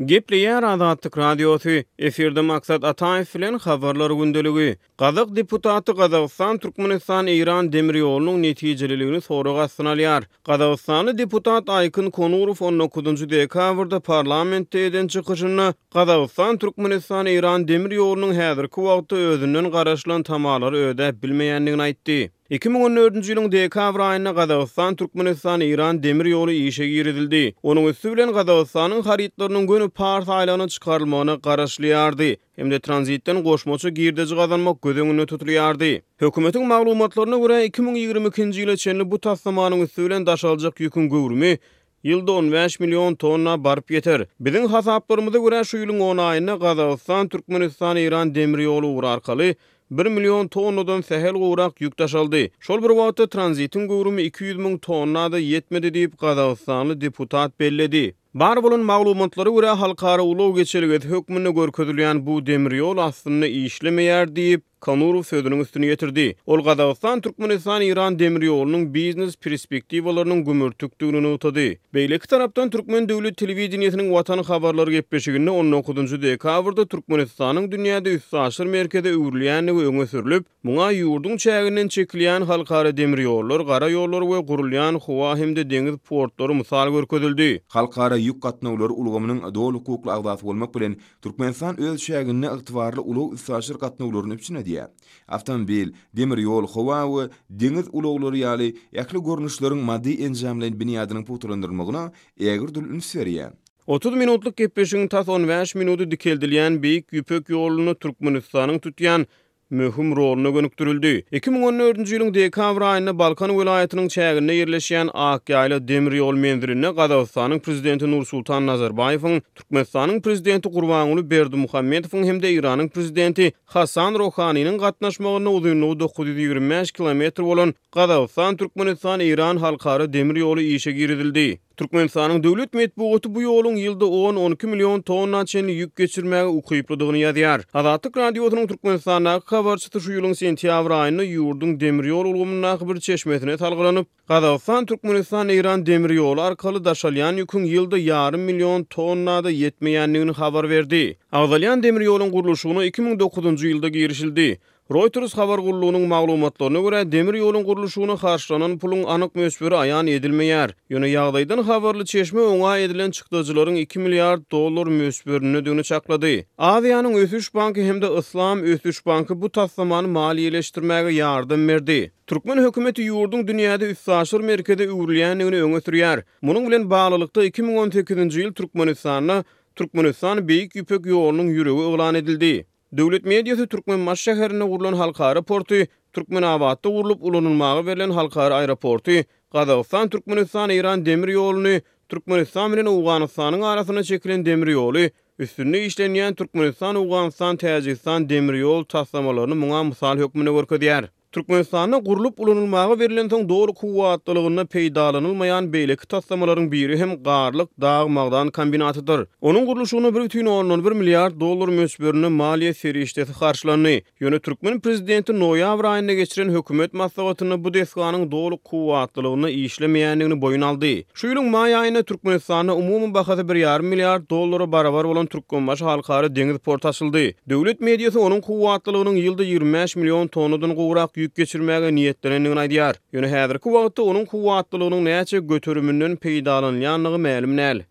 Gepleýär Azatlyk Radiosy, efirde Maksat Ataýew bilen Habarlar gündeligi. Gazak deputaty Gazagystan-Türkmenistan-Eýran demir ýolunyň netijeliligini sorag astyna alýar. Gazagystanly deputat Aýkyn Konurow on dokuzynjy dekabrda parlamentde eden çykyşynda Gazagystan-Türkmenistan-Eýran demir ýolunyň häzirki wagtda özünden garaşylan tamalary ödäp bilmeýändigini aýtdy. 2014-nji ýylyň dekabr aýynda Gazagystan-Türkmenistan-Eýran demir ýoly işe girizildi. Onuň üsti bilen Gazagystanyň harytlarynyň göni Pars aýlagyna çykarylmagyna garaşylýardy hem-de tranzitden goşmaça girdeji gazanmak göz öňünde tutulýardy. Hökümetiň maglumatlaryna görä, 2022-nji ýyla çenli bu taslamanyň üsti bilen daşaljak ýüküň göwrümi Ýylda on bäş million tonna baryp ýeter. Biziň hasaplarymyza görä, şu ýylyň on aýynda Gazagystan, Türkmenistan, Eýran demir ýoly ugry arkaly bir million tonnadan sähel gowrak ýük daşaldy. Şol bir wagtda, tranzitiň göwrümi 200 müň tonna-da ýetmedi diýip, gazagystanly deputat belledi. Bar bolan maglumatlara görä, halkara ulag geçelgesi hökmünde görkezilýän bu demir ýol aslynda işlemeýär diýip, Konurow sözüniň üstüni ýetirdi. Ol Gazagystan-Türkmenistan-Eýran demir ýolunyň biznes perspektiwalarynyň gümürtikdigini nygtady. Beýleki tarapdan, türkmen döwlet telewideniýesiniň Watan habarlary gepleşiginde on dokuzynjy dekabrda Türkmenistanyň dünýäde üstaşyr merkeze öwrülýändigi öňe sürlüp, muňa ýurduň çäginden çekilýän halkara demir ýollar, gara ýollar we gurulýan howa hem-de deňiz portlary mysal görkezildi. Halkara ýük gatnawlary ulgamynyň doly hukukly agzasy bolmak bilen, Türkmenistan öz çäginde ygtybarly ulag-üstaşyr gatnawlaryny üpjün edýär. Awtomobil, demir ýol, howa we deňiz ulaglary ýaly ähli görnüşleriň maddy-enjamlaýyn binýadynyň pugtalandyrylmagyna ägirt uly üns berýär. 30 minutlyk gepleşigiň tas on bäş minudy dikeldilýän Beýik Ýüpek ýolunda Türkmenistanyň tutýan möhüm roluna gönükdirildi. 2014-nji ýylyň dekabr aýynda Balkan welaýatynyň çäginde ýerleşýän Akýaýla demir ýol menzilinde Gazagystanyň Prezidenti Nursultan Nazarbaýewiň, Türkmenistanyň Prezidenti Gurbanguly Berdimuhamedowyň hem-de Eýranyň Prezidenti Hasan Rohaniniň gatnaşmagynda uzynlygy 925 kilometr bolan Gazagystan, Türkmenistan, Eýran halkara demir ýoly işe girizildi. Türkmenistanyň döwlet metbugaty bu ýoluň ýylda on-on iki million tonna çenli ýük geçirmäge ukyplydygyny ýazýar. Azatlyk Radiosynyň Türkmenistandaky habarçysy şu ýylyň sentýabr aýynda ýurduň demir ýol ulgamyndaky bir çeşmesine salgylanyp, Gazagystan, Türkmenistan, Eýran demir ýoly arkaly daşalýan ýüküň ýylda ýarym million tonna-da ýetmeýändigini habar berdi. Agzalýan demir ýoluň gurluşygyna 2009-njy ýylda girişildi. Reuters habar gullugynyň maglumatlaryna görä, demir ýoluň gurluşygyna harçlanan puluň anyk möçberi aýan edilmeýär. Ýöne ýagdaýdan habarly çeşme oňa edilen çykdajylaryň iki milliard dollar möçberindedigini çaklady. Aziýanyň ösüş banky hem-de Yslam ösüş banky bu taslamany maliýeleşdirmäge ýardam berdi. Türkmen hökümeti ýurduň dünýäde üstaşyr merkeze öwrülýändigini öňe sürýär. Munuň bilen baglylykda, 2018-nji ýyl Türkmenistanda Türkmenistan Beýik Ýüpek ýolunyň ýüregi yglan edildi. Döwlet mediasy Türkmenbaşy şäherinde gurlan halkara porty, Türkmenabatda gurlup ulanylmaga berlen halkara aeroporty, Gazagystan, Türkmenistan, Eýran demir ýoluny, Türkmenistan bilen Owganystanyň arasynda çekilen demir ýoly, üstünde işlenýän Türkmenistan, Owganystan, Täjigistan demir ýol taslamalaryny muňa mysal hökmünde görkezýär. Türkmenistanda gurlup ulanylmaga berlensoň doly kuwwatlylygynda peýdalanylmaýan beýleki taslamalaryň biri hem Garlyk dag-magdan kombinatydyr. Onuň gurluşygyna bir bütin ondan bir milliard dollar möçberinde maliýe serişdesi harçlandy. Ýöne türkmen prezidenti noýabr aýynda geçiren hökümet maslahatynda bu desganyň doly kuwwatlylygynda işlemeýändigini boýun aldy. Şu ýylyň maý aýynda Türkmenistanda umumy bahasy bir ýarym milliard dollara barabar bolan Türkmenbaşy halkara deňiz porty açyldy. Döwlet mediasy onuň kuwwatlylygynyň ýylda 25 million tonnadan gowrak ýük geçirmäge niýetlenendigini aýdýar. Ýöne häzirki wagtda onuň kuwwatlylygynyň näçe göteriminden peýdalanylýandygy mälim däl.